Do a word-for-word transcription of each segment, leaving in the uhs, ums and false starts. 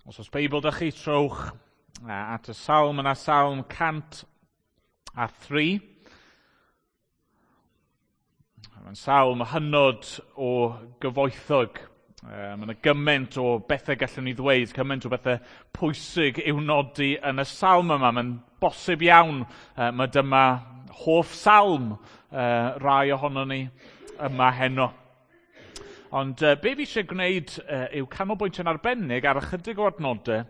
Os oes Beibl 'da chi, trowch at y salm yna, Salm cant a thri. Mae'n salm hynod o gyfoethog. Mae yna gymaint o bethau gallwn ni ddweud, cymaint o bethau pwysig i'w nodi yn y salm yma. Mae'n bosib iawn, mae dyma hoff salm rai ohonon ni yma heno. Ond uh, be fi eisiau gwneud uh, yw canolbwyntio'n arbennig ar ychydig o adnodau,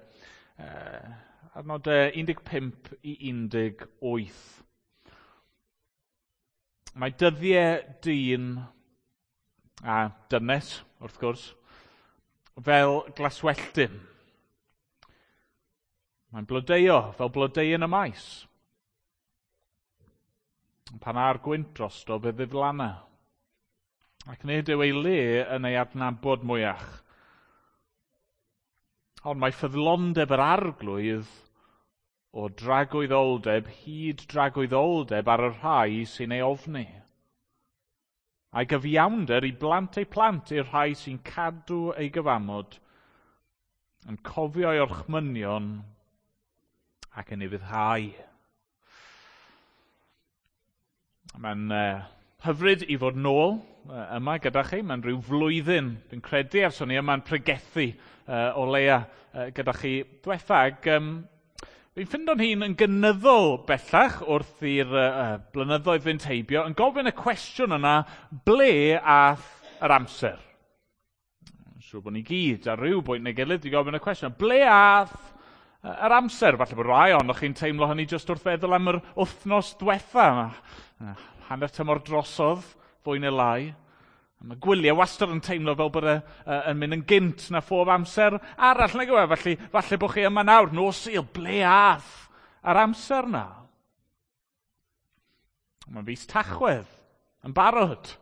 uh, adnodau un deg pump i un deg wyth. Mae dyddiau dyn a dynes, wrth gwrs, fel glaswelltyn. Mae'n blodeuo fel blodeuyn y maes. Pan â'r gwynt drosto, fe ddiflanna. Ac nid yw ei le yn ei adnabod mwyach. Ond mae ffyddlondeb yr Arglwydd o dragwyddoldeb hyd dragwyddoldeb ar y rhai sy'n ei ofni. A'i gyfiawnder i blant eu plant i'r rhai sy'n cadw ei gyfamod, yn cofio ei orchmynion ac yn ei ufuddhau. Mae'n uh, hyfryd i fod nôl yma gyda chi. Mae'n rhyw flwyddyn, fi'n credu, ers o'n i yma'n pregethu uh, o leia uh, gyda chi diwetha. Ac um, fi'n ffindo'n hun yn gynyddol bellach wrth i'r uh, blynyddoedd fynd heibio, yn gofyn y cwestiwn yna, ble ath yr amser? Siŵr bod ni gyd ar ryw bwynt neu gilydd wedi gofyn y cwestiwn, ble ath yr amser? Falle bod rai ohonoch chi'n teimlo hynny jyst wrth feddwl am yr wythnos diwetha. Hanner tymor drosodd, fwy neu lai. Mae gwyliau wastad yn teimlo fel bod e, yn mynd yn gynt na phob amser arall, nag yw e? Felly, falle bod chi yma nawr, nos Sul, ble ath yr amser na? Mae'n fis Tachwedd, yn barod.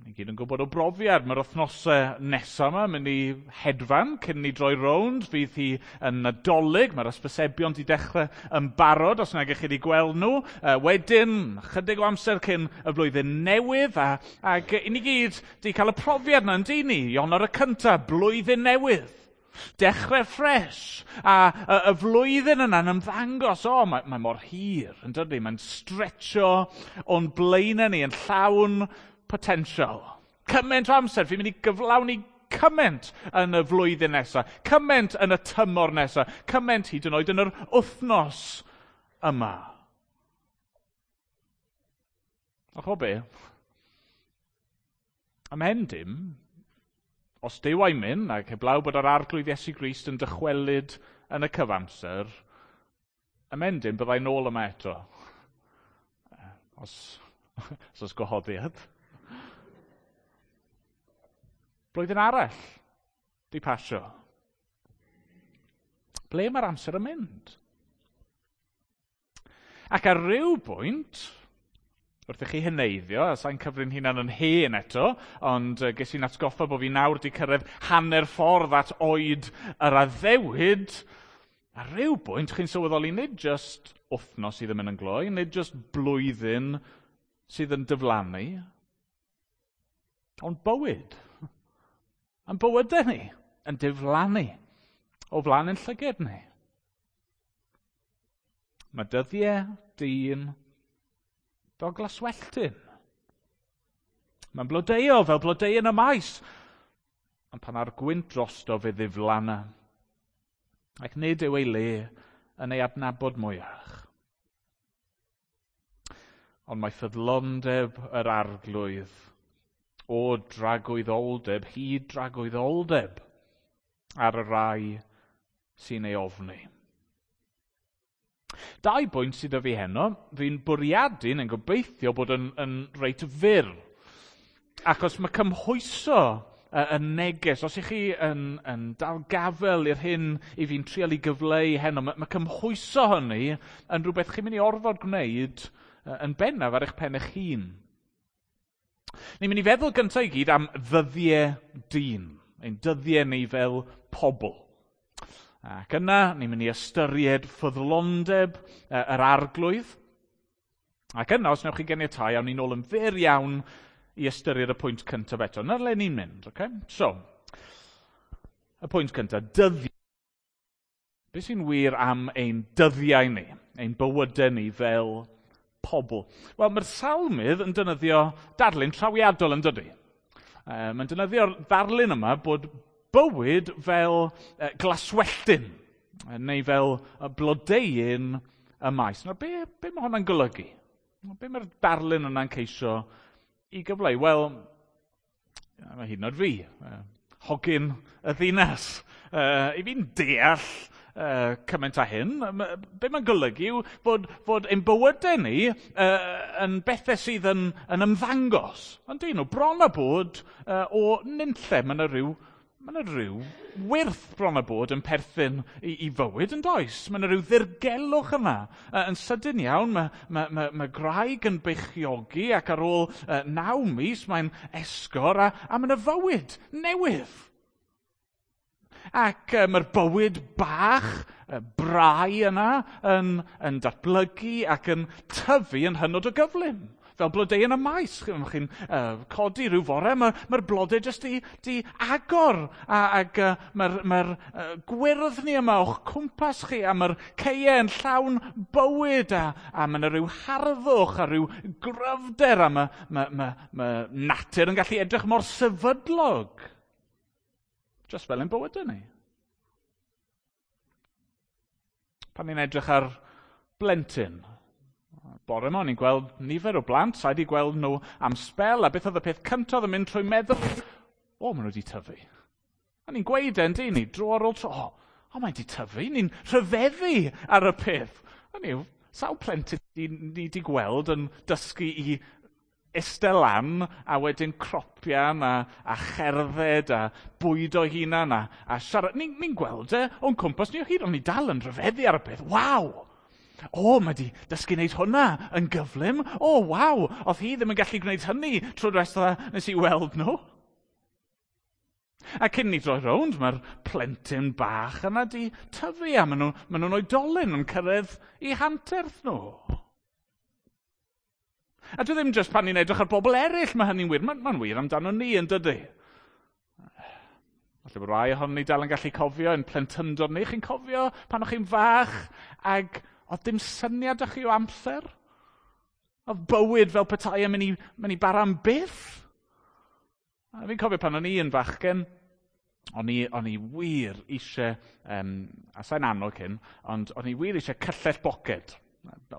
Ni gyd yn gwybod o brofiad, mae'r wythnosau nesaf yma yn mynd i hedfan cyn ni droi rownd, fydd hi yn Nadolig, mae'r ysbysebion wedi dechrau yn barod os nag ych chi wedi gweld nhw. Uh, wedyn, chydig o amser cyn y flwyddyn newydd, a, ac i ni gyd wedi cael y profiad yna yn dyn ni, Ionawr y cyntaf, blwyddyn newydd. Dechrau ffres, a y, y flwyddyn yna'n ymddangos, o, mae, mae mor hir, yn dydi, mae'n stretcho o'n blaenau ni yn llawn potensial. Cymaint o amser, fi'n mynd i gyflawni cymaint yn y flwyddyn nesaf, cymaint yn y tymor nesaf, cymaint hyd yn oed yn yr wythnos yma. A cho be? Ymhen dim, os Duw a'i mynd, ac heblaw bod yr Arglwydd Iesu Grist yn dychwelyd yn y cyfamser, ymhen dim byddai nôl yma eto. Os, os oes gwahoddiad. Blwyddyn arall di pasio. Ble mae'r amser yn mynd? Ac ar ryw bwynt, wrth i chi heneiddio, a sa'n cyfri'n hunan yn hen eto, ond ges i'n atgoffa bod fi nawr di cyrraedd hanner ffordd at oed yr addewid, ar ryw bwynt chi'n sylweddoli nid jyst wythnos sydd yn mynd yn gloi, nid jyst blwyddyn sydd yn diflannu, ond bywyd. Yn bywydau ni yn diflannu o flaen ein llygad ni. Mae dyddiau dyn fel glaswelltyn. Mae'n blodeuo fel blodeuyn y maes, ond pan â'r gwynt drosto fe ddiflanna, ac nid yw ei le yn ei adnabod mwyach. Ond mae ffyddlondeb yr Arglwydd o dragwyddoldeb hyd dragwyddoldeb ar y rai sy'n ei ofni. Dau bwynt sydd â fi heno, fi'n bwriadu yn gobeithio bod yn, yn reit fyr. Achos mae cymhwyso y neges, os ych chi yn, yn dal gafel i'r hyn i fi'n trial i gyfleu heno, mae, mae cymhwyso hynny yn rhywbeth chi'n mynd i orfod gwneud yn bennaf ar eich pen eich hun. Ni'n mynd i feddwl gyntaf i gyd am ddyddiau dyn, ein dyddiau ni fel pobl. Ac yna, ni'n mynd i ystyried ffyddlondeb yr Arglwydd. Ac yna, os newch chi ganiatáu, awn ni'n ôl yn fyr iawn i ystyried y pwynt cyntaf eto. Na'r le ni'n mynd, okay? So, Y pwynt cyntaf, dyddiau. Be sy'n wir am ein dyddiau ni, ein bywydau ni fel pobl? Wel, mae'r salmydd yn defnyddio darlun trawiadol yn dydy. E, mae'n defnyddio'r ddarlun yma bod bywyd fel glaswelltyn, neu fel blodeuyn y maes. Nawr, be, be mae hwnna'n golygu? Be mae'r darlun yna'n ceisio i gyfleu? Wel, mae hyd yn oed fi, hogyn y ddinas. I fi'n deall uh, cymaint â hyn. Be mae'n golygu yw fod, fod ein bywydau ni uh, yn bethau sydd yn, yn ymddangos. Ond dyn nhw, bron a bod uh, o nunlle. Mae yna rhyw, mae yna rhyw wyrth bron a bod yn perthyn i, i fywyd yn does. Mae yna rhyw ddirgelwch yna. Uh, yn sydyn iawn, mae, mae, mae, mae graig yn beichiogi ac ar ôl uh, naw mis mae'n esgor a, a mae yna fywyd newydd. Ac uh, mae'r bywyd bach, uh, brau yna, yn, yn datblygu ac yn tyfu yn hynod o gyflym. Fel blodeu yn y maes, chi'n chi uh, codi rhyw fore, mae'r mae blodau jyst di, di agor. A, ac uh, mae'r mae uh, gwyrddni yma o'ch cwmpas chi, a mae'r caeau yn llawn bywyd, a, a mae yna rhyw harddwch a rhyw gryfder, a mae, mae, mae, mae natur yn gallu edrych mor sefydlog. Just fel ein bywydau ni. Pan ni'n edrych ar blentyn, bore yma o'n i'n gweld nifer o blant, sa'i wedi gweld nhw am sbel, a beth oedd y peth cyntaf yn mynd trwy meddwl, o, maen nhw wedi tyfu. A ni'n gweud e'n dyn ni, dro ar ôl tro, o, o mae'n wedi tyfu, ni'n rhyfeddu ar y peth. A ni, sawl plentyn ni wedi gweld yn dysgu i eistedd lan a wedyn cropian a, a cherdded a bwydo hunan a, a siarad. Ni'n ni gweld e o'n cwmpas ni o hyd, ond ni dal yn rhyfeddu ar y peth. Waw! O, mae di dysgu wneud hwnna yn gyflym. O, waw! Oedd hi ddim yn gallu gwneud hynny trwy'r diwetha nes i weld nhw. A cyn ni droi rownd, mae'r plentyn bach yna di tyfu a maen nhw, maen nhw'n oedolyn yn cyrraedd i hanterth nhw. A dwi ddim jyst pan ni'n edrych ar bobl eraill, mae hynny'n wir. Mae'n ma wir amdano ni yn dydy. Falle bod rai ohonon ni dal yn gallu cofio yn plentyndod ni. Chi'n cofio pan o'ch chi'n fach ag oedd dim syniad o'ch chi o amser? Oedd bywyd fel petai yn mynd i, mynd i bara am byth? A fi'n cofio pan o'n i yn fachgen, o'n i, o'n i wir eisiau, um, a sa'n annog hyn, ond o'n i wir eisiau cyllell boced,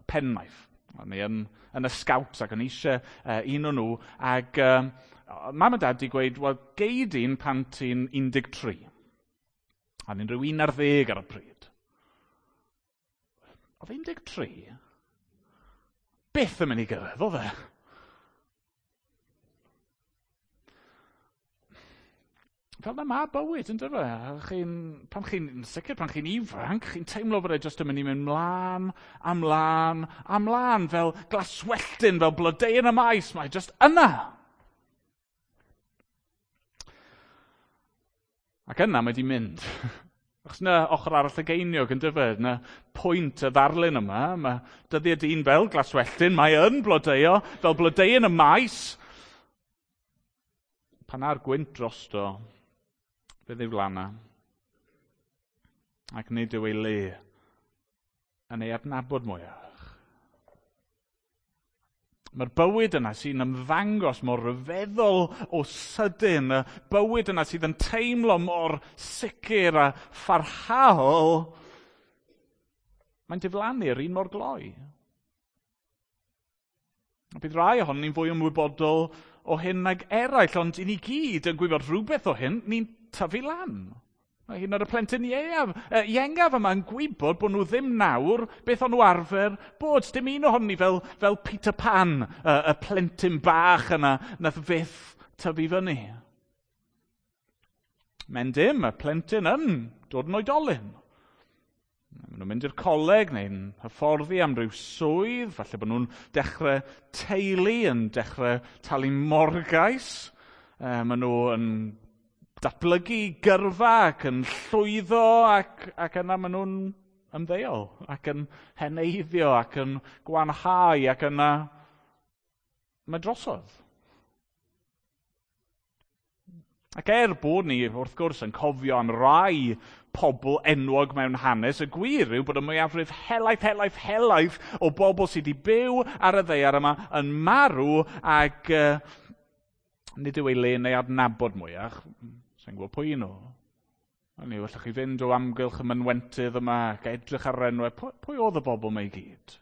penknife. O'n i yn, yn y scouts ac o'n i eisiau uh, un o nhw, ac uh, mam a dad di gweud, wel, gei di'n pan ti'n un deg tri. A ni'n rhyw un ar ddeg ar y pryd. Oedd un deg tri byth yn mynd i gyrraedd, oedd e? Fel na ma bywyd, yn dyfe? Chi'n, pan chi'n, sicr pan chi'n ifanc, chi'n teimlo bod e jyst yn mynd i mynd mlaen, a mlaen, a mlaen, fel glaswelltyn, fel blodeuyn y maes, mae jyst yna. Ac yna mae di mynd. Achos na ochr arall y geiniog yn dyfe, na pwynt y ddarlun yma, mae dyddiau dyn fel glaswelltyn, mae yn blodeuo, fel blodeuyn y maes. Pan ar gwynt drosto, fe ddiflanna, ac nid yw ei le yn ei adnabod mwyach. Mae'r bywyd yna sy'n ymddangos mor ryfeddol o sydyn, y bywyd yna sydd yn teimlo mor sicr a pharhaol, mae'n diflannu'r un mor gloi. A bydd rai ohonon ni'n fwy ymwybodol o hyn nag eraill, ond i ni gyd yn gwybod rhywbeth o hyn, ni'n tyfu lan. Mae hyn o'r y plentyn ieuaf, iengaf yma yn gwybod bod nhw ddim nawr beth o'n nhw arfer bod. Dim un ohonon ni fel, fel Peter Pan, y, y plentyn bach yna nath fyth tyfu fyny. Men dim, y plentyn yn dod yn oedolyn. Maen nhw'n mynd i'r coleg neu'n hyfforddi am ryw swydd, falle bod nhw'n dechrau teulu, yn dechrau talu morgais. E, maen nhw yn datblygu gyrfa ac yn llwyddo ac, ac yna maen nhw'n ymddeol ac yn heneiddio ac yn gwanhau ac yna mae drosodd. Ac er bod ni, wrth gwrs, yn cofio am rai pobl enwog mewn hanes, y gwir yw bod y mwyafrif helaeth, helaeth, helaeth o bobl sydd wedi byw ar y ddaear yma yn marw ac uh, nid yw ei le neu adnabod mwyach. Sa'n gwybod pwy nhw. Hynny yw, allwch chi fynd o amgylch y mynwentydd yma ac edrych ar yr enwau. Pwy, pwy oedd y bobl yma i gyd?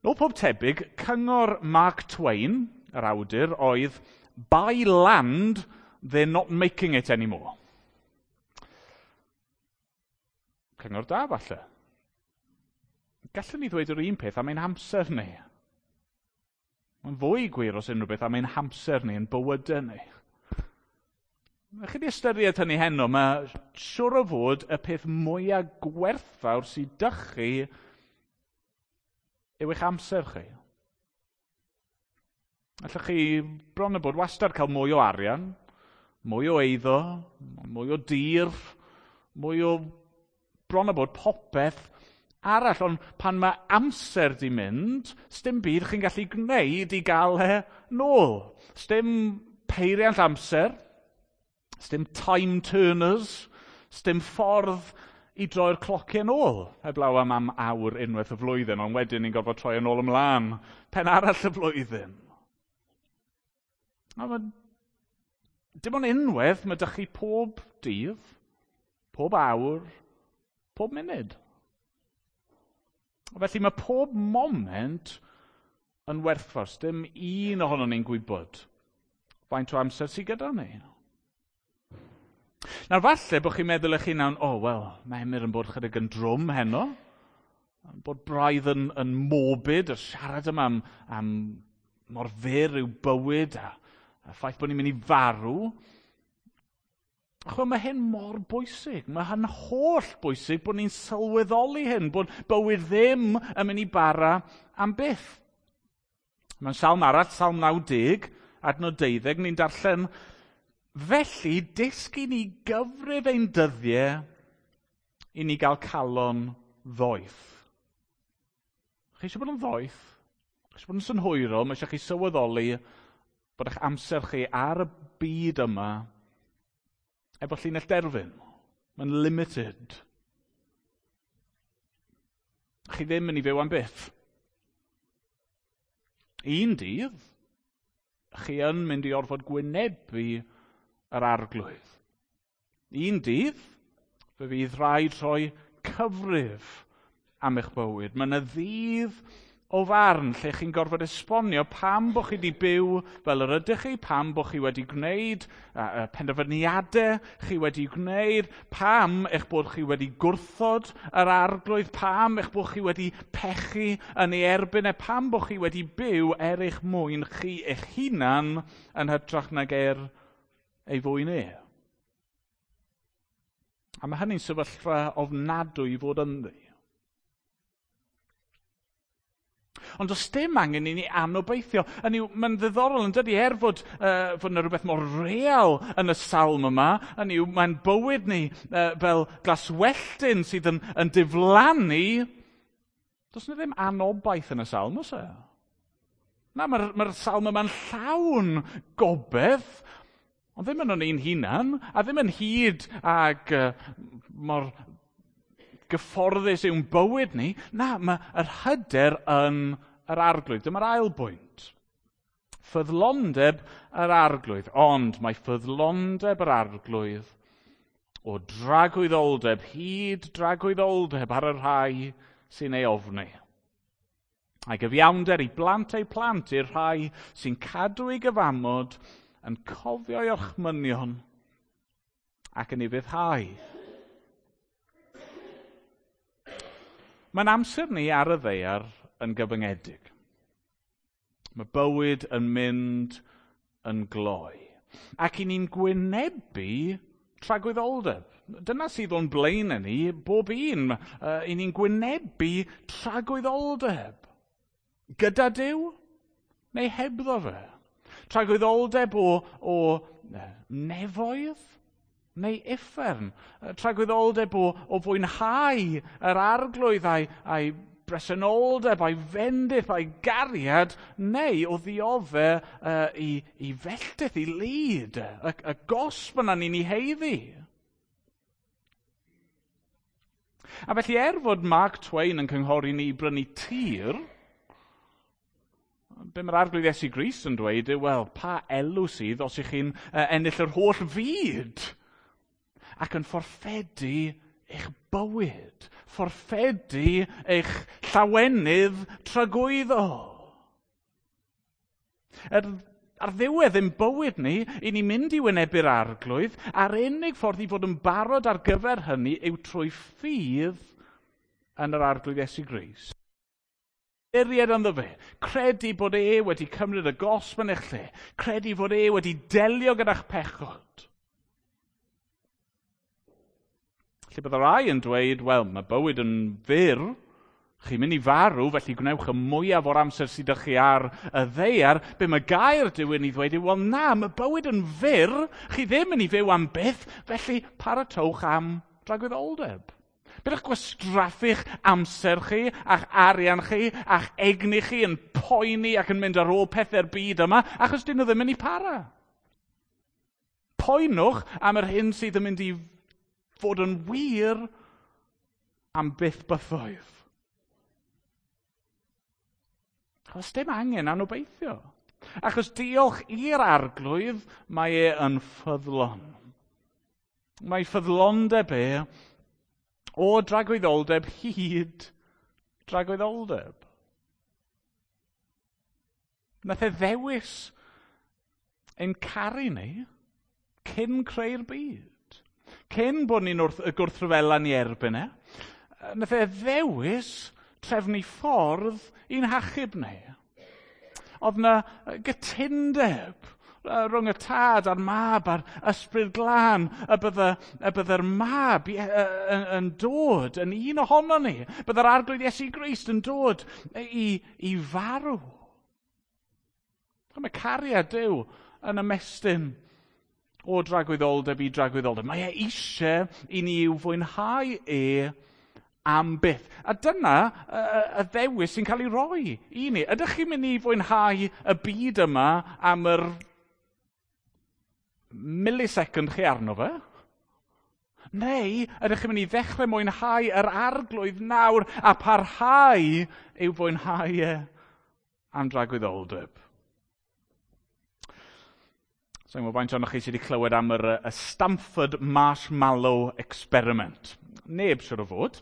Nôl pob tebyg, cyngor Mark Twain, yr awdur, oedd "By land, they're not making it anymore." Cyngor da, falle. Gallwn ni ddweud yr un peth am ein hamser ni. Mae'n fwy gwir os unrhyw beth am ein hamser ni, ein bywydau ni. Chi wedi ystyried hynny heno, mae siwr o fod y peth mwyaf gwerthfawr sydd 'da chi yw eich amser chi. Allwch chi bron a bod wastad cael mwy o arian, mwy o eiddo, mwy o dir, mwy o bron a bod popeth arall, ond pan mae amser di mynd, sdim byd chi'n gallu gwneud i gael e nôl. Sdim peiriant amser, sdim time turners, sdim ffordd i droi'r clociau nôl, heblaw am am awr unwaith y flwyddyn, ond wedyn ni'n gorfod troi yn ôl ymlaen, pen arall y flwyddyn. A ma, dim ond unwaith, mae 'da chi pob dydd, pob awr, pob munud. Felly mae pob moment yn werthfawr. Dim un ohonon ni'n gwybod faint o amser sydd gyda ni. Nawr falle bod chi'n meddwl eich hunan, o, oh, wel, mae Emyr yn bod chydig yn drwm heno, bod braidd yn, yn morbid, y siarad yma am, am mor fyr yw bywyd a, a ffaith bod ni'n mynd i farw. Chwa, mae hyn mor bwysig. Mae hyn holl bwysig bod ni'n sylweddoli hyn, bod bywyd ddim yn mynd i bara am byth. Mewn salm arall, Salm naw deg, adnod deuddeg, ni'n darllen, "Felly, dysg i ni gyfrif ein dyddiau i ni gael calon ddoeth." Chi eisiau bod yn ddoeth? Chi eisiau bod yn synhwyrol? Mae eisiau chi sylweddoli bod eich amser chi ar y byd yma efo llinell derfyn. Mae'n limited. Chi ddim yn ei fyw am byth. Un dydd, chi yn mynd i orfod gwynebu yr Arglwydd. Un dydd, fe fydd rhaid rhoi cyfrif am eich bywyd. Mae yna ddydd o farn lle chi'n gorfod esbonio pam bod chi wedi byw fel yr ydych chi, pam bod chi wedi gwneud uh, penderfyniadau chi wedi gwneud, pam eich bod chi wedi gwrthod yr Arglwydd, pam eich bod chi wedi pechu yn ei erbyn e, pam bod chi wedi byw er eich mwyn chi eich hunan yn hytrach nag er ei fwyn e. A mae hynny'n sefyllfa ofnadwy i fod ynddi. Ond does dim angen i ni anobeithio. Hynny yw, mae'n ddiddorol yn dydi, er fod, uh, fod yna rhywbeth mor real yn y salm yma, hynny yw, mae'n bywyd ni uh, fel glaswelltyn sydd yn, yn diflannu. Does yna ddim anobaith yn y salm, oes e? Na, mae'r mae salm yma'n llawn gobaith, ond ddim yn o'n ein hunan, a ddim yn hyd ag uh, mor gyfforddus yw'n bywyd ni. Na, mae yr hyder yn yr Arglwydd. Dyma'r ail bwynt. Ffyddlondeb yr Arglwydd. Ond mae ffyddlondeb yr Arglwydd o dragwyddoldeb hyd dragwyddoldeb ar y rhai sy'n ei ofni. A'i gyfiawnder i blant eu plant i'r rhai sy'n cadw ei gyfamod, yn cofio'i orchmynion ac yn ei ufuddhau. Mae'n amser ni ar y ddaear yn gyfyngedig. Mae bywyd yn mynd yn gloi. Ac i ni'n gwynebu tragwyddoldeb. Dyna sydd o'n blaen ni, bob un. Uh, I ni'n gwynebu tragwyddoldeb. Gyda Duw neu hebddo fe. Tragwyddoldeb o, o nefoedd neu uffern. Tragwyddoldeb o, o fwynhau yr Arglwydd a'i, a'i bresenoldeb a'i fendith a'i gariad, neu o ddiodde uh, i, i felltith, i lid, y, y gosb yna ni'n ei heiddi. A felly er fod Mark Twain yn cynghori ni i brynu tir, be mae'r Arglwydd Iesu Grist yn dweud yw, wel, pa elw sydd os ych chi'n uh, ennill yr holl fyd ac yn fforffedu eich bywyd, fforffedu eich llawenydd tragwyddol. Er, ar ddiwedd ein bywyd ni, i ni mynd i wynebu'r Arglwydd, a'r unig ffordd i fod yn barod ar gyfer hynny yw trwy ffydd yn yr Arglwydd Iesu Grist. Ystyried ynddo fe, credu bod e wedi cymryd y gosb yn eich lle, credu fod e wedi delio gyda'ch pechod. Lle bydde rai yn dweud, wel, mae bywyd yn fyr, chi'n mynd i farw, felly gwnewch y mwyaf o'r amser sydd â chi ar y ddaear. Be mae gair Duw yn ei ddweud yw, wel na, mae bywyd yn fyr, chi ddim yn ei fyw am byth, felly paratowch am dragwyddoldeb. Byddwch gwastraffu'ch amser chi, a'ch arian chi, a'ch egni chi yn poeni ac yn mynd ar ôl pethau'r byd yma, achos dyn nhw ddim yn ei para. Poenwch am yr hyn sydd yn mynd i fod yn wir am byth bythoedd. Achos dim angen anobeithio. Achos diolch i'r Arglwydd, mae e yn ffyddlon. Mae ffyddlondeb e o dragwyddoldeb hyd dragwyddoldeb. Nath e ddewis ein caru ni cyn creu'r byd. Cyn bod ni'n wrth, y gwrthryfela ni erbyn e, nath e ddewis trefnu ffordd i'n hachub ni. Oedd na gytundeb rhwng y tad a'r mab a'r ysbryd glân, y bydde, y bydde'r mab yn, yn dod yn un ohono ni. Bydde'r Arglwydd Iesu Grist yn dod i, i farw. Mae cariad Duw yn ymestyn o dragwyddoldeb i dragwyddoldeb. Mae e eisiau i ni i'w fwynhau e am byth. A dyna y, y ddewis sy'n cael ei roi i ni. Ydych chi'n mynd i fwynhau y byd yma am yr millisecond chi arno fe? Neu ydych chi'n mynd i ddechrau mwynhau yr Arglwydd nawr a parhau i'w fwynhau e am dragwyddoldeb? Sa'n gwybod faint ohonoch chi sydd wedi clywed am yr, y Stanford Marshmallow Experiment. Neb siwr o fod.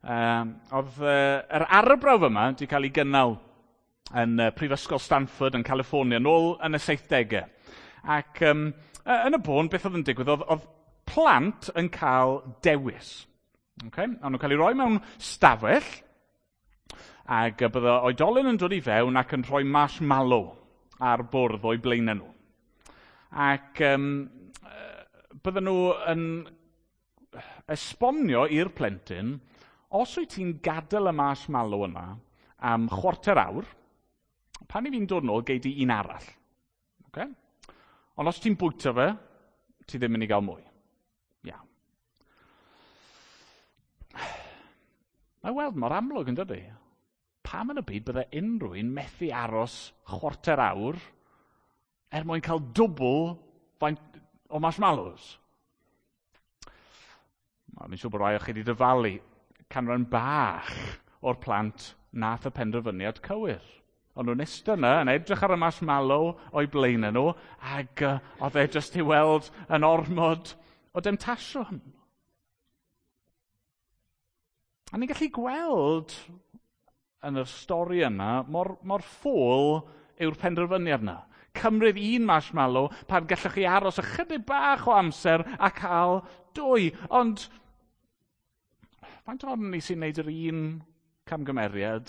Um, oedd uh, yr arbrawf yma wedi cael ei gynnal yn uh, Prifysgol Stanford yn California nôl yn y saithdegau. Ac um, yn y bôn, beth oedd yn digwydd, oedd, oedd plant yn cael dewis. Okay? O'n nhw'n cael ei roi mewn stafell, ac bydde oedolyn yn dod i fewn ac yn rhoi marshmallow ar bwrdd o'i blaenau nhw. Ac um, bydden nhw yn esbonio i'r plentyn, os wyt ti'n gadael y marshmallow yna am chwarter awr, pan i fi'n dod nôl, gei di un arall. Okay? Ond os ti'n bwyta fe, ti ddim yn mynd i gael mwy. Iawn. Mae weld mor amlwg yn dydi? Pam yn y byd bydde unrhyw un methu aros chwarter awr er mwyn cael dwbl faint o marshmallows? Mi'n siŵr bod rai o chi wedi dyfalu canran bach o'r plant nath y penderfyniad cywir. Ond nhw'n eistedd yna yn edrych ar y marshmallow o'i blaenau nhw, ac uh, oedd e jyst i weld yn ormod o demtasiwn. A ni'n gallu gweld yn y stori yna mor, mor ffôl yw'r penderfyniad yna. Cymryd un marshmallow pan gallwch chi aros ychydig bach o amser a cael dwy. Ond faint ohonon ni sy'n gwneud yr un camgymeriad,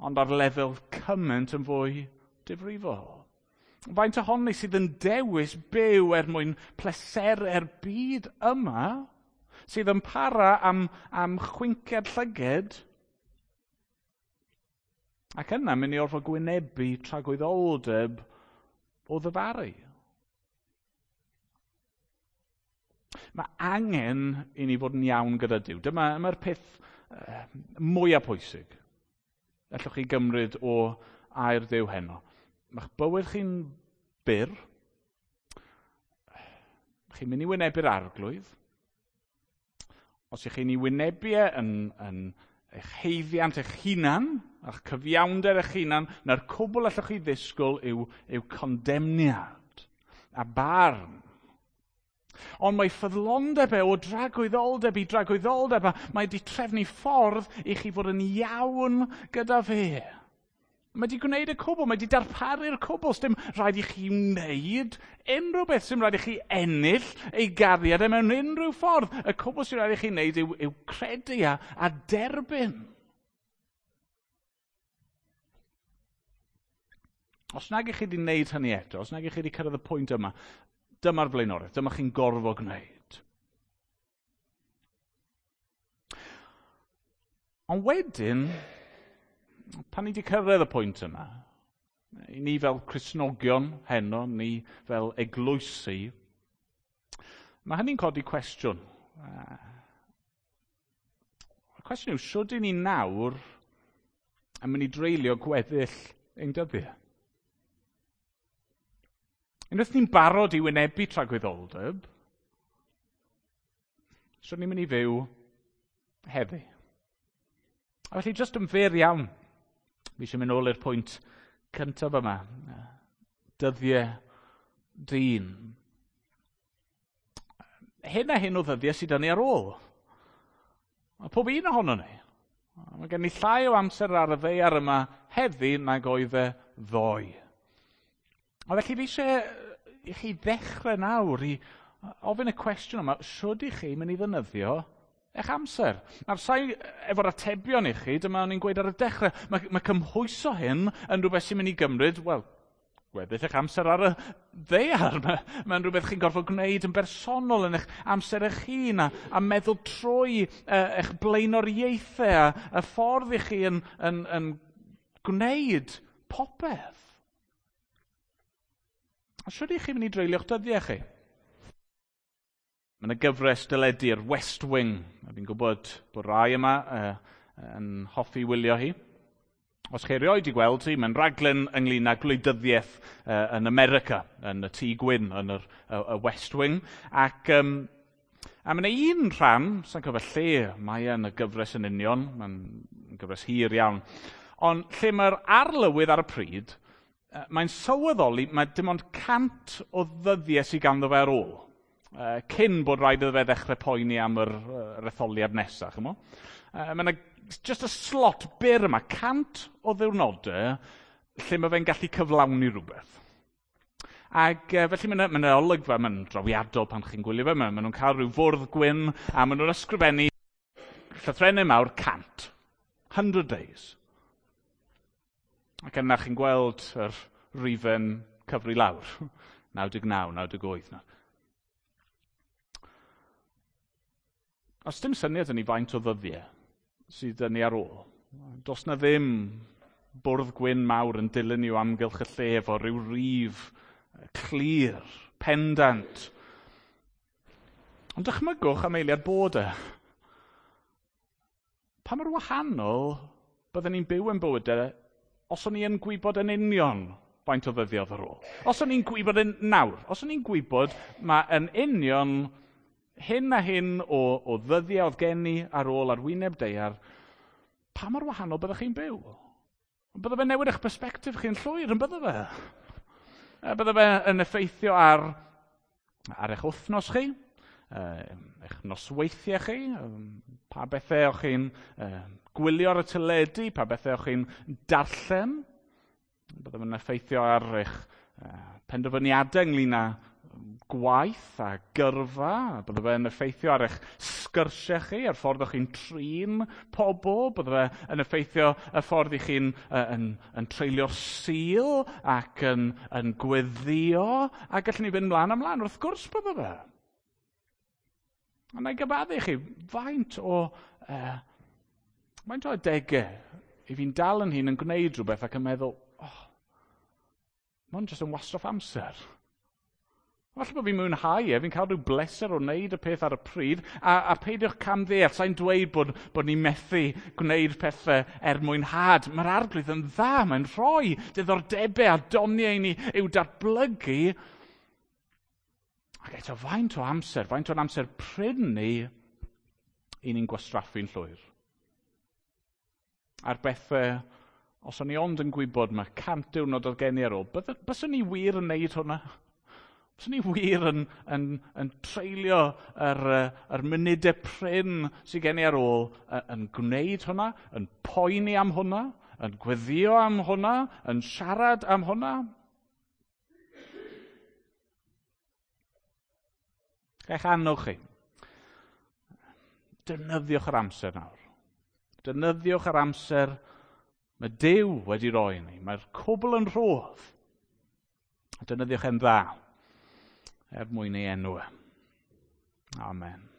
ond ar lefel cymaint yn fwy difrifol? Faint ohonon ni sydd yn dewis byw er mwyn pleserau'r byd yma, sydd yn para am, am chwinciad llyged, ac yna mynd i orfod gwynebu tragwyddoldeb o ddyfaru. Mae angen i ni fod yn iawn gyda Duw. Dyma, dyma'r peth uh, mwyaf pwysig allwch chi gymryd o air Duw heno. Mae'ch bywyd chi'n byr. Chi'n mynd i wynebu'r Arglwydd. Os ych chi'n ei wynebu e yn, yn eich haeddiant eich hunan, a'ch cyfiawnder eich hunan, na'r cwbl allwch chi ddisgwyl yw, yw condemniad a barn. Ond mae ffyddlondeb e o dragwyddoldeb i dragwyddoldeb, a mae wedi trefnu ffordd i chi fod yn iawn gyda fe. Mae wedi gwneud y cwbl, mae wedi darparu'r cwbl. Sdim rhaid i chi wneud unrhyw beth, sdim rhaid i chi ennill ei gariad e mewn unrhyw ffordd. Y cwbl sy'n rhaid i chi wneud yw, yw credu a, a derbyn. Os nag ych chi wedi wneud hynny eto, os nag ych chi wedi cyrraedd y pwynt yma, dyma'r flaenoriaeth, dyma chi'n gorfod gwneud. Ond wedyn, pan ni wedi cyrraedd y pwynt yna, i ni fel Cristnogion heno, ni fel eglwysi, mae hynny'n codi cwestiwn. Y cwestiwn yw, shwd i ni nawr yn mynd i dreulio gweddill ein dyddiau? Unwaith ni'n barod i wynebu tragwyddoldeb, shwd ni'n mynd i fyw heddi? A felly, jyst yn fyr iawn, fi eisiau mynd nôl i'r pwynt cyntaf yma. Dyddiau dyn. Hyn a hyn o ddyddiau sydd 'da ni ar ôl. Mae pob un ohono ni. Mae gen ni llai o amser ar y ddaear yma heddi nag oedd e ddoe. A felly fi eisiau i chi ddechrau nawr i ofyn y cwestiwn yma, shwd i chi mynd i ddefnyddio eich amser? Nawr, sa'i efo'r atebion i chi, dyma o'n i'n gweud ar y dechrau, mae, mae cymhwyso hyn yn rhywbeth sy'n mynd i gymryd, wel, gweddill eich amser ar y ddaear. Mae'n mae rhywbeth chi'n gorfod gwneud yn bersonol yn eich amser eich hun a, a meddwl trwy uh, eich blaenoriaethau a, y ffordd i chi yn, yn, yn gwneud popeth. A shwd i chi mynd i dreulio'ch dyddiau chi? Mae yna gyfres deledu'r West Wing. A fi'n gwybod bod rai yma uh, yn hoffi wylio hi. Os chi erioed i gweld hi, mae'n raglen ynglyn â gwleidyddiaeth uh, yn America, yn y Tŷ Gwyn, yn yr, y, y West Wing. Ac um, a mae yna un rhan, sa'n cofio lle mae yn y gyfres yn union, mae'n gyfres hir iawn, ond lle mae'r arlywydd ar y pryd, mae'n sylweddoli mae dim ond cant o ddyddiau sydd ganddo fe ar ôl, cyn bod rhaid iddo fe ddechrau poeni am yr, yr etholiad nesaf. Chimo? Mae yna just y slot byr yma, cant o ddiwrnodau, lle mae fe'n gallu cyflawni rhywbeth. Ac felly mae yna olygfa, mae'n drawiadol pan chi'n gwylio fe, maen nhw'n cael rhyw fwrdd gwyn, a maen nhw'n ysgrifennu llythrennau mawr cant, hundred days. Ac yna chi'n gweld yr rifen cyfri lawr, naw deg naw, naw deg wyth. Os dim syniad yn ei faint o ddyddiau sydd yn ei ar ôl, does na ddim bwrdd gwyn mawr yn dilyn i'w amgylch y lle efo rhyw rif clir, pendant. Ond dychmygwch am eiliad bod e. Pa mor wahanol byddwn ni'n byw yn bywydau os o'n i yn gwybod yn union faint o ddyddiau ar ôl. Os o'n i'n gwybod yn nawr, os o'n i'n gwybod mae yn union hyn a hyn o, o ddyddiau oedd gen i ar ôl ar wyneb daear, pa mor wahanol byddech chi'n byw? Bydde fe newid eich perspectif chi'n llwyr, yn bydde fe? Bydde fe yn effeithio ar, ar eich wythnos chi, eich nosweithiau chi, pa bethau o'ch chi'n gwylio ar y teledu, pa bethau o'ch chi'n darllen. Bydde fe'n effeithio ar eich penderfyniadau ynglyn â gwaith a gyrfa, bydde fe'n effeithio ar eich sgyrsiau chi, ar ffordd o'ch chi'n trin pobl, bydde fe yn effeithio y ffordd i chi'n yn, yn treulio'r Sul ac yn, yn gweddio, a gallwn ni fynd mlaen a mlaen, wrth gwrs bydde fe. A na i gyfaddu chi, faint o, uh, faint o adegau i fi'n dal yn hun yn gwneud rhywbeth ac yn meddwl, oh, mae hwn jyst yn wastraff amser. Falle bod fi'n mwynhau e, fi'n cael rhyw bleser o wneud y peth ar y pryd, a, a peidiwch camddeall, sa'n dweud bod, bod ni'n methu gwneud pethau er mwynhad. Mae'r Arglwydd yn dda, mae'n rhoi diddordebau a doniau i ni i'w datblygu. Ac eto, faint o amser, faint o'n amser prin ni, i ni'n gwastraffu'n llwyr. A'r bethau, os o'n i ond yn gwybod mae cant diwrnod oedd gen i ar ôl, byswn ni wir yn neud hwnna? Byswn ni wir yn, yn, yn treulio yr, yr munudau prin sydd gen i ar ôl yn gwneud hwnna, yn poeni am hwnna, yn gweddio am hwnna, yn siarad am hwnna? Eich annog chi. Defnyddiwch yr amser nawr. Defnyddiwch yr amser mae Duw wedi roi ni. Mae'r cwbl yn rhodd. Defnyddiwch e'n dda er mwyn ei enw. Amen.